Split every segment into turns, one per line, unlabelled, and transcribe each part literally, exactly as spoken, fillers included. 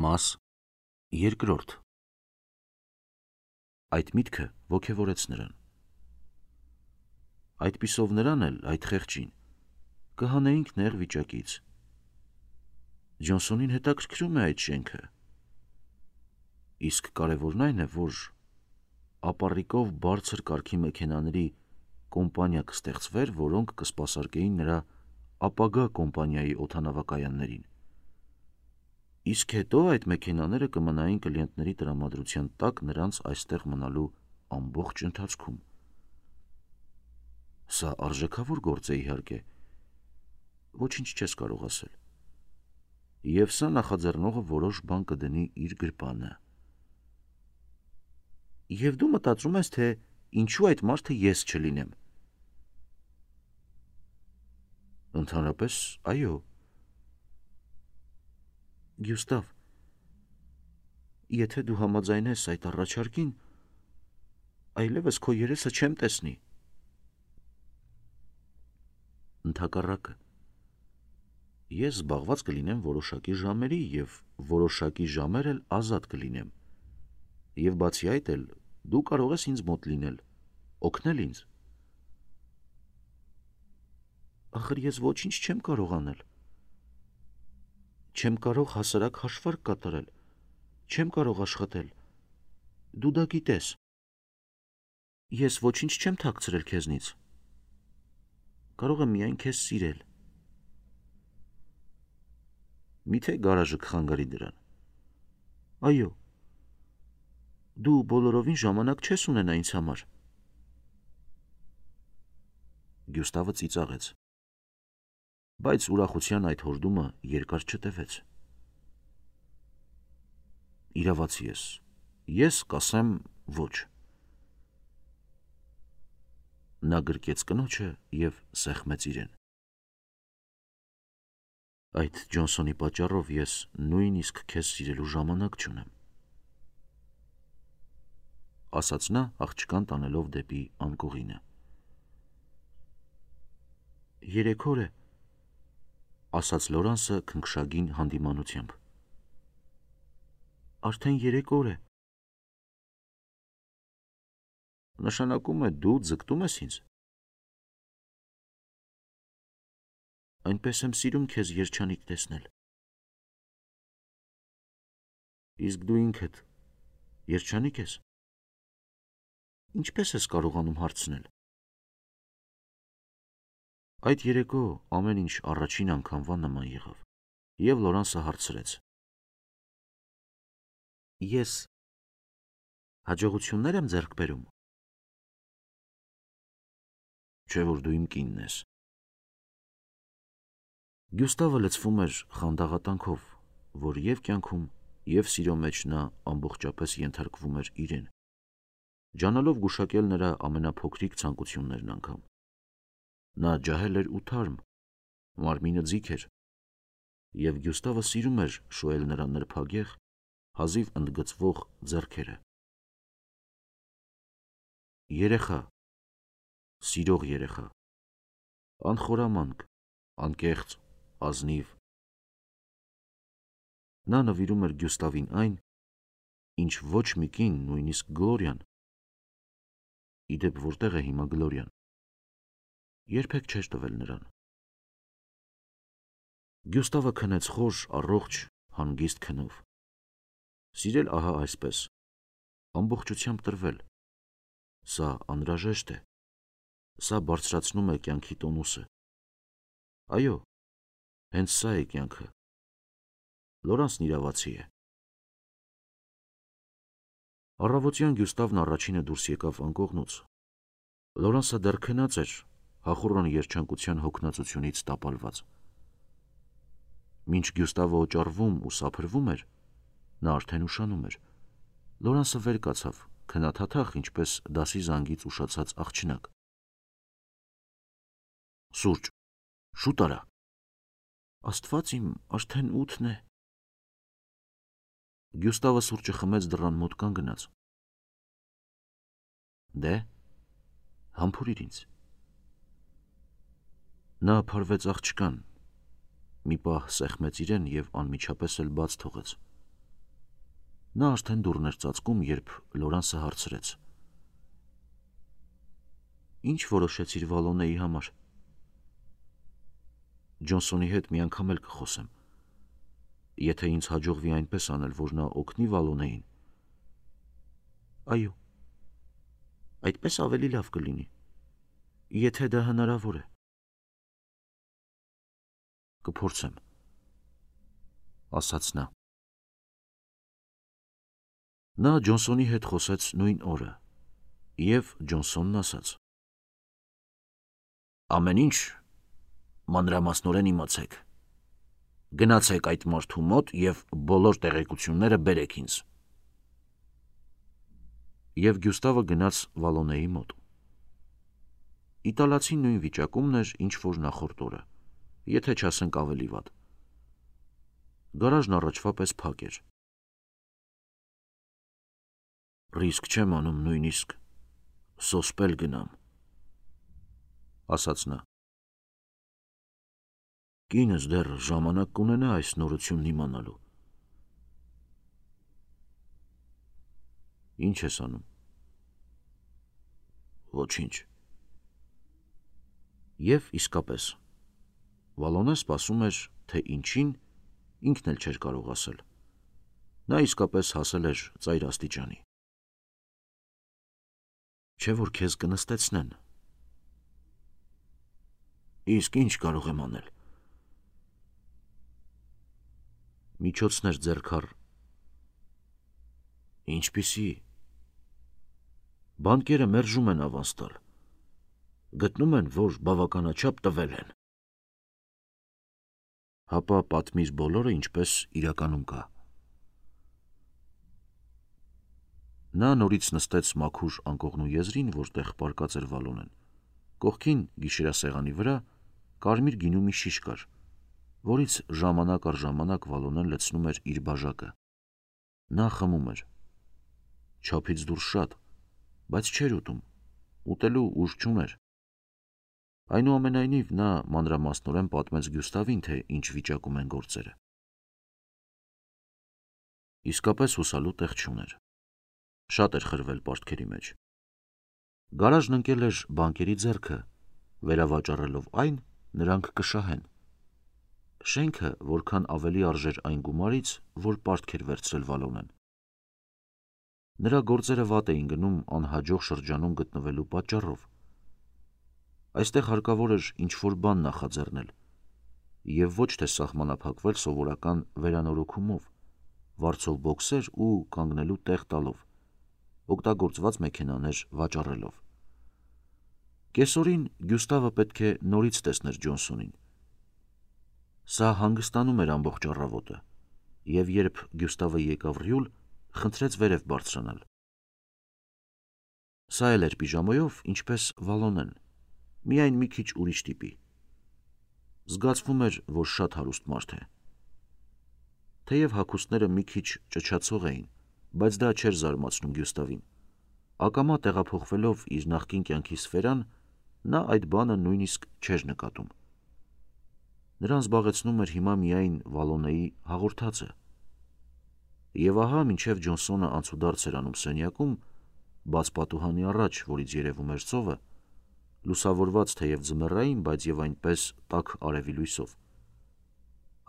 Մաս երկրորդ։ Այդ միտքը ոգևորեց նրան։ Այդպիսով նրան էլ, այդ խեղճին, կհանեինք նեղ վիճակից։ Ջոնսոնին հետաքրքրում է այդ շենքը։ Իսկ կարևորն այն է, որ ապառիկով բարձր կարգի մեքենաների կոմպանիա կստեղծվեր, որոնք կսպասարկեին նրա ապագա կոմպանիայի օդանավակայաններին։ Իսկ հետո այդ մեքենաները կմնային կլիենտների տրամադրության տակ նրանց այստեղ մնալու ամբողջ ընթացքում։ Սա արժեքավոր գործ է, իհարկե, ոչինչ չես կարող ասել։ Եվ սա նախաձեռնողը որոշ բան կդնի իր գրպանը։ Եվ դու մտածում ես, թե ինչու այդ մարդը ես չլինեմ։ Ընդհանրապես, այո։ Գյուստավ, եթե դու համաձայնես այդ առաջարկին, այլևս քո երեսը չեմ տեսնի։ Ընդհակառակը, ես զբաղված կլինեմ որոշակի ժամերի և որոշակի ժամեր էլ ազատ կլինեմ։ Եվ բացի այդ էլ, դու կարող ես ինձ մոտ լինել, օգնել ինձ։ Ախր ես ոչինչ չեմ կարող անել։ Չեմ կարող հասարակ հաշվարկ կատարել, չեմ կարող աշխատել, դու դա գիտես։ Ես ոչինչ չեմ թաքցրել քեզնից։ Կարող եմ միայն քեզ սիրել։ Միթե գարաժը կխանգարի դրան։ Այո, դու բոլորովին ժամանակ չես ունենա ինձ համար։ Գյուստավը ծիծաղեց, բայց ուրախության այդ հորդումը երկար չտևեց։ Իրավացի ես, ես կասեմ ոչ։ Նա գրկեց կնոջը և սեղմեց իրեն։ Այդ Ջոնսոնի պատճառով ես նույնիսկ քեզ սիրելու ժամանակ չունեմ, ասաց նա աղջկան տանելով դեպի անկողինը։ Երեք օր է, ասաց Լորանսը քնքշագին հանդիմանությամբ։ Արդեն երեք օր է։ Նշանակում է դու ձգտում ես ինձ։ Այնպես եմ սիրում քեզ երջանիկ տեսնել։ Իսկ դու ինքդ երջանիկ ես։ Ինչպես ես կարողանում հարցնել։ Այդ երեկո ամեն ինչ առաջին անգամվա նման եղավ, և Լորանսը հարցրեց. Ես հաջողություններ եմ ձեռք բերում։ Չէ՞ որ դու իմ կինն ես։ Գյուստավը լցվում էր խանդաղատանքով, որ և կյանքում, և սիրո մեջ նա ամբողջապես ենթարկվում էր իրեն, ջանալով գուշակել նրա ամենափոքրիկ ցանկություններն անգամ։ Նա ջահել էր ու թարմ, մարմինը ձիգ էր, և Գյուստավը սիրում էր շոյել նրա նրբագեղ, հազիվ ընդգծվող ձեռքերը։ Երեխա, սիրող երեխա, անխորամանկ, անկեղծ, ազնիվ։ Նա նվիրում էր Գյուստավին այն, ինչ ոչ մի կին, նույնիսկ Գլորիան, ի դեպ որտեղ է հիմա Գլորիան, երբեք չէր տվել նրան։ Գյուստավը քնեց խոր, առողջ, հանգիստ քնով։ Սիրել ահա այսպես, ամբողջությամբ տրվել։ Սա անհրաժեշտ է, սա բարձրացնում է կյանքի տոնուսը։ Այո, հենց սա է կյանքը։ Լորանսն իրավացի է։ Առավոտյան Գյուստավն առաջինը դուրս եկավ անկողնուց։ Լորանսը դեռ քնած էր, հախուռն երջանկության հոգնածությունից տապալված։ Մինչ Գյուստավը օճառվում ու սափրվում էր, նա արդեն ուշանում էր։ Լորանսը վեր կացավ, քնաթաթախ, ինչպես դասի զանգից ուշացած աղջնակ։ Սուրճ, շուտ արա։ Աստված իմ, արդեն ութն է։ Գյուստավը սուրճը խմեց, դռան մոտ կանգնած։ Դե, համբուրիր ինձ։ Նա փարվեց աղջկան, մի պահ սեղմեց իրեն և անմիջապես էլ բաց թողեց։ Նա արդեն դուռն էր ծածկում, երբ Լորանսը հարցրեց. Ինչ որոշեցիր Վալոնեի համար։ Ջոնսոնի հետ մի անգամ էլ կխոսեմ։ Եթե ինձ հաջողվի այնպես անել, որ նա օգնի Վալոնեին։ Այո։ Այդպես ավելի լավ կլինի, եթե դա հնարավոր է։ Կփորձեմ, ասաց նա։ Նա Ջոնսոնի հետ խոսեց նույն օրը, և Ջոնսոնն ասաց. Ամեն ինչ մանրամասնորեն իմացեք։ Գնացեք այդ մարդու մոտ և բոլոր տեղեկությունները բերեք ինձ։ Եվ Գյուստավը գնաց Վալոնեի մոտ։ Իտալացին նույն վիճակումն էր, ինչ որ նախորդ օրը, եթե չասենք ավելի վատ։ Գարաժն առաջվա պես փակ էր։ Ռիսկ չեմ անում նույնիսկ սոսպել գնամ, ասաց նա։ Կինս դեռ ժամանակ կունենա այս նորությունն իմանալու։ Ինչ ես անում։ Ոչինչ։ Եվ իսկապես, Վալոնեն սպասում էր, թե ինչին ինքն էլ չէր կարող ասել։ Նա իսկապես հասել էր ծայր աստիճանի։ Չէ որ քեզ կնստեցնեն։ Իսկ ինչ կարող եմ անել։ Միջոցներ ձեռքար։ Ինչպիսի։ Բանկերը մերժում են ավանս տալ։ Գտնում են, որ բավականաչափ տվել են։ Հապա պատմիր բոլորը, ինչպես իրականում կա։ Նա նորից նստեց մաքուր անկողնու եզրին, որտեղ պառկած էր Վալոնեն։ Կողքին գիշերասեղանի վրա կարմիր գինու մի շիշ կար, որից ժամանակ առ ժամանակ Վալոնեն լցնում էր իր բաժակը։ Նա խմում էր։ Չափից դուրս շատ, բայց չէր ուտում, ուտելու ուժ չուներ։ Այնուամենայնիվ նա մանրամասնորեն պատմեց Գյուստավին, թե ինչ վիճակում են գործերը։ Իսկապես հուսալու տեղ չուներ։ Շատ էր խրվել պարտքերի մեջ։ Գարաժն ընկել էր բանկերի ձեռքը, վերավաճառելով այն, նրանք կշահեն։ Շենքը որքան ավելի արժեր այն գումարից, որ պարտք էր վերցրել Վալոնեն։ Նրա գործերը վատ էին գնում անհաջող շրջանում գտնվելու պատճառով։ Այստեղ հարկավոր էր ինչ-որ բան նախաձեռնել, և ոչ թե սահմանափակվել սովորական վերանորոգումով, վարձով բոքսեր ու կանգնելու տեղ տալով, օգտագործված մեքենաներ վաճառելով։ Կեսօրին Գյուստավը պետք է նորից տեսներ Ջոնսոնին։ Սա հանգստանում էր ամբողջ առավոտը, և երբ Գյուստավը եկավ ռյուլ, խնդրեց վերև բարձրանալ։ Սա էլ էր պիժամայով, ինչպես Վալոնեն, միայն մի քիչ ուրիշ տիպի։ Զգացվում էր, որ շատ հարուստ մարդ է։ Թեև հագուստները մի քիչ ճչացող էին, բայց դա չէր զարմացնում Գյուստավին։ Ակամա տեղափոխվելով իր նախկին կյանքի սֆերան, նա այդ բանը նույնիսկ չէր նկատում։ Նրան զբաղեցնում էր հիմա միայն Վալոնեի հաղորդածը։ Եվ ահա մինչև Ջոնսոնը անցուդարձ էր անում սենյակում, բաց պատուհանի առաջ, որից երևում էր ծովը, լուսավորված թեև ձմեռային, բայց և այնպես տաք արևի լույսով։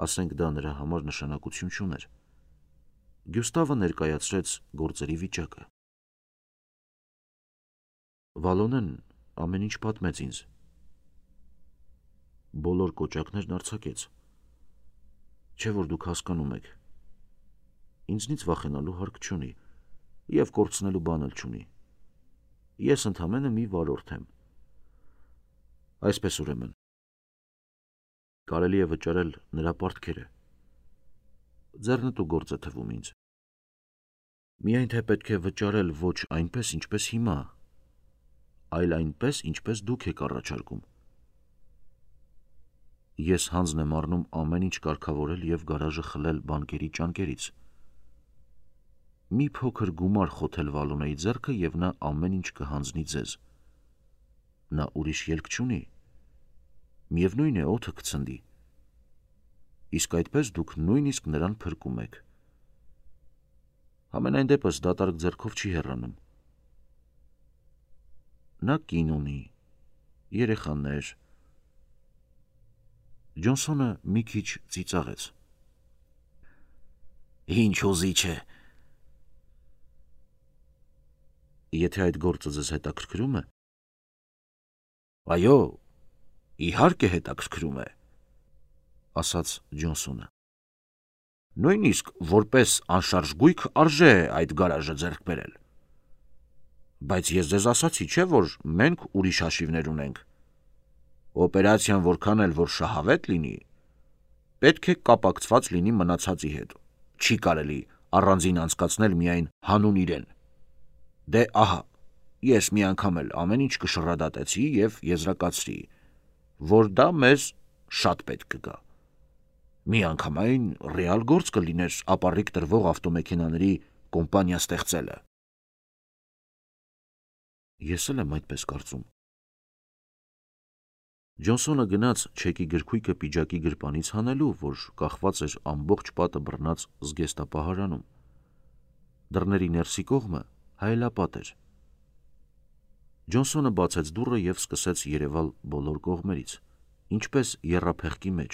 Ասենք դա նրա համար նշանակություն չուներ։ Գյուստավը ներկայացրեց գործերի վիճակը։ Վալոնեն ամեն ինչ պատմեց ինձ։ Բոլոր կոճակներն արձակեց։ Չէ որ դուք հասկանում եք։ Ինձնից վախենալու հարկ չունի, և կորցնելու բան էլ չունի։ Ես ընդամենը մի վարորդ եմ։ Այսպես ուրեմն։ Կարելի է վճարել նրա պարտքերը։ Ձեռնտու գործ է թվում ինձ։ Միայն թե պետք է վճարել ոչ այնպես, ինչպես հիմա, այլ այնպես, ինչպես դուք եք առաջարկում։ Ես հանձն եմ առնում ամեն ինչ կարգավորել և գարաժը խլել բանկերի ճանկերից։ Մի փոքր գումար խոթել Վալոնեի ձեռքը, և նա ամեն ինչ կհանձնի ձեզ։ Նա ուրիշ ելք չունի։ Միևնույն է, օդը կցնդի։ Իսկ այդպես դուք նույնիսկ նրան փրկում եք։ Համենայն դեպս դատարկ ձեռքով չի հեռանում։ Նա կին ունի, երեխաներ։ Ջոնսոնը մի քիչ ծիծաղեց։ Ինչ ուզիչ է։ Եթե այդ գործը ձեզ հետաքրքրում է։ Այո, իհարկե հետաքրքրում է, ասաց Ջոնսոնը։ Նույնիսկ որպես անշարժ գույք արժե այդ գարաժը ձեռք բերել։ Բայց ես ձեզ ասացի, չէ, որ մենք ուրիշ հաշիվներ ունենք։ Օպերացիան որքան էլ որ շահավետ լինի, պետք է կապակցված լինի մնացածի հետ։ Չի կարելի առանձին անցկացնել միայն հանուն իրեն։ Դե ահա, ես մի անգամ էլ ամեն ինչ կշռադատեցի և եզրակացրի, որ դա մեզ շատ պետք կգա։ Միանգամայն ռեալ գործ կլիներ ապառիկ տրվող ավտոմեքենաների կոմպանիա ստեղծելը։ Ես էլ եմ այդպես կարծում։ Ջոնսոնը գնաց չեկի գրքույկը պիջակի գրպանից հանելու, որ կախված էր ամբողջ պատը բռնած զգեստապահարանում։ Դռների ներսի կողմը հայելապատ էր։ Ջոնսոնը բացեց դուռը և սկսեց երևալ բոլոր կողմերից, ինչպես եռափեղկի մեջ։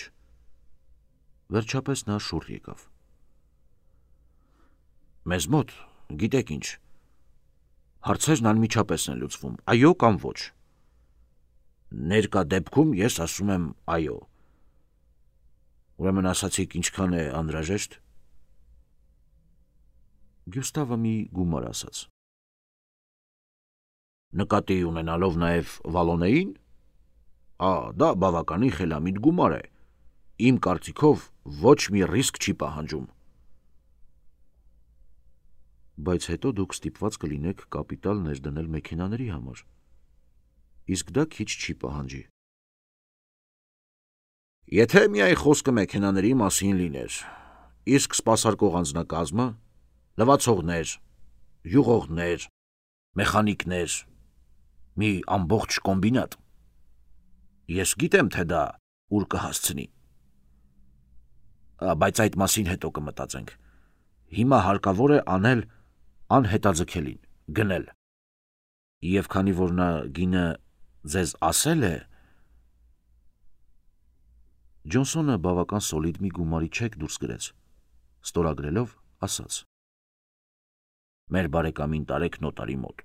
Վերջապես նա շուռ եկավ։ Մեզ մոտ, գիտեք ինչ, հարցերն անմիջապես են լուծվում, այո կամ ոչ։ Ներկա դեպքում ես ասում եմ այո։ Ուրեմն ասացիք ինչքան է անհրաժեշտ։ Գյուստավը մի գումար ասաց։ Նկատի ունենալով նաև Վալոնեին, ա, դա բավականի խելամիտ գումար է։ Իմ կարծիքով ոչ մի ռիսկ չի պահանջում։ Բայց հետո դուք ստիպված կլինեք կապիտալ ներդնել մեքենաների համար։ Իսկ դա քիչ չի պահանջի։ Եթե միայն խոսքը մեքենաների մասին լիներ, իսկ սպասարկող անձնակազմը, լվացողներ, յուղողներ, մեխանիկներ, մի ամբողջ կոմբինատ։ Ես գիտեմ, թե դա ուր կհասցնի։ Բայց այդ մասին հետո կմտածենք։ Հիմա հարկավոր է անել անհետաձգելին, գնել։ Եվ քանի որ նա գինը ձեզ ասել է։ Ջոնսոնը բավական սոլիդ մի գումարի չեք դուրս գրեց, ստորագրելով ասաց. Մեր բարեկամին տարեք նոտարի մոտ։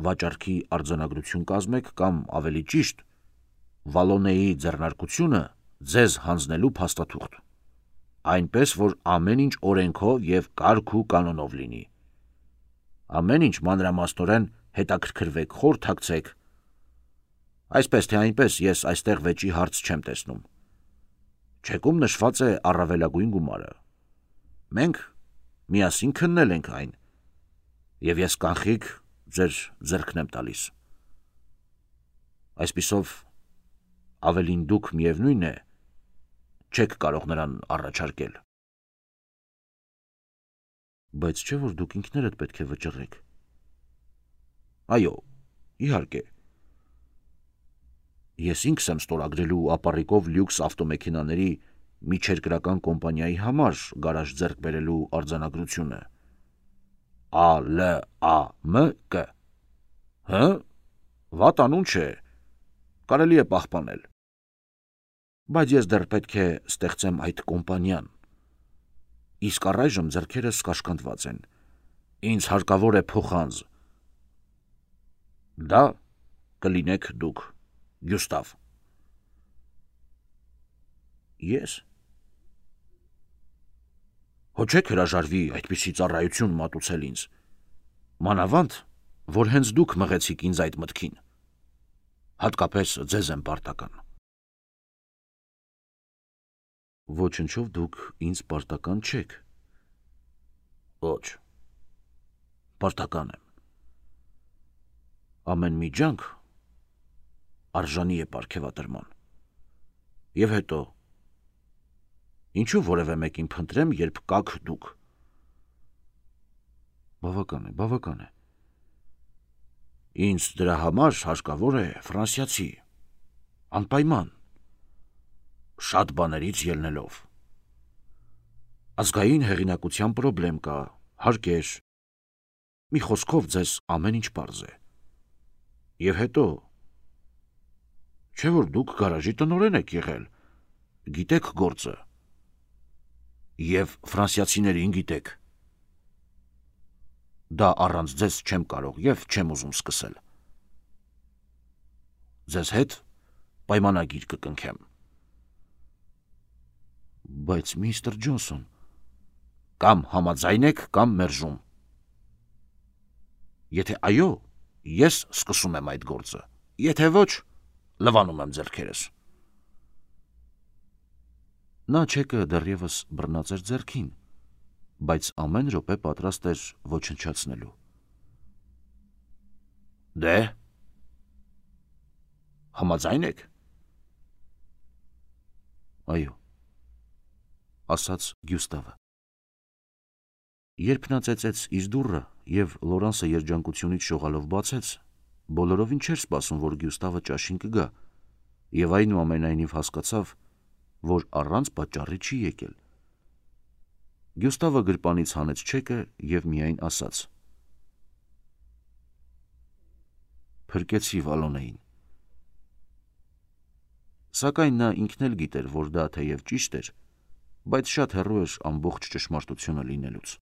Վաճառքի արձանագրություն կազմեք կամ ավելի ճիշտ, Վալոնեի ձեռնարկությունը ձեզ հանձնելու փաստաթուղթ, այնպես որ ամեն ինչ օրենքով և կարգ ու կանոնով լինի։ Ամեն ինչ մանրամասնորեն հետաքրքրվեք, խորհրդակցեք։ Այսպես թե այնպես ես այստեղ վեճի հարց չեմ տեսնում։ Չեկում նշված է առավելագույն գումարը։ Մենք միասին քննել ենք այն, և ես կանխիկ ձեր ձեռքն եմ տալիս։ Այսպիսով ավելին դուք միևնույն է, չեք կարող նրան առաջարկել։ Բայց չէ՞ որ դուք ինքներդ պետք է վճռեք։ Այո, իհարկե։ Ես ինքս եմ ստորագրելու ապառիկով լյուքս ավտոմեքենաների միջերկրական կոմպանիայի համար գարաժ ձեռք բերելու արձանագրությունը։ Ա Լ A M K։ Հը՞, վատ անուն չէ, կարելի է պահպանել։ Բայց ես դեռ պետք է ստեղծեմ այդ կոմպանիան։ Իսկ առայժմ ձեռքերս կաշկանդված են։ Ինձ հարկավոր է փոխանձ։ Դա կլինեք դուք, Գյուստավ։ Ես։ Հո չեք հրաժարվի այդպիսի ծառայություն մատուցել ինձ։ Մանավանդ, որ հենց դուք մղեցիք ինձ այդ մտքին։ Հատկապես ձեզ եմ պարտական։ Ոչնչով դուք ինձ պարտական չեք։ Ոչ, պարտական եմ։ Ամեն մի ջանք արժանի է պարգևատրման։ Եվ հետո, ինչու որևէ մեկին փնտրեմ, երբ կաք դուք։ Բավական է, բավական է։ Ինձ դրա համար հարկավոր է ֆրանսիացի, անպայման, շատ բաներից ելնելով։ Ազգային հեղինակության պրոբլեմ կա, Հարկեր։ Մի խոսքով ձեզ ամեն ինչ պարզ է։ Եվ հետո, չէ որ դուք գարաժի տնօրեն եք եղել, գիտեք գործը։ Եվ ֆրանսիացիներին գիտեք։ Դա առանց ձեզ չեմ կարող և չեմ ուզում սկսել։ Ձեզ հետ պայմանագիր կկնքեմ։ Բայց միստր Ջոնսոն, կամ համաձայն եք, կամ մերժում։ Եթե այո, ես սկսում եմ այդ գործը, եթե ոչ, լվանում եմ ձեռքերս։ Նա չեկը դեռևս բռնած էր ձեռքին, բայց ամեն րոպե պատրաստ էր ոչնչացնելու։ Դե, համաձայն եք։ Այո, ասաց Գյուստավը։ Երբ նա ծեծեց իր դուռը և Լորանսը երջանկությունից շողալով բացեց, բոլորովին չէր սպասում, որ Գյուստավը ճաշին կգա, և այնուամենայնիվ հասկացավ, որ առանց պատճառի չի եկել։ Գյուստավը գրպանից հանեց չեկը և միայն ասաց. Փրկեցի Վալոնեին։ Սակայն նա ինքն էլ գիտեր, որ դա թեև ճիշտ էր, բայց շատ հեռու էր ամբողջ ճշմարտությունը լինելուց։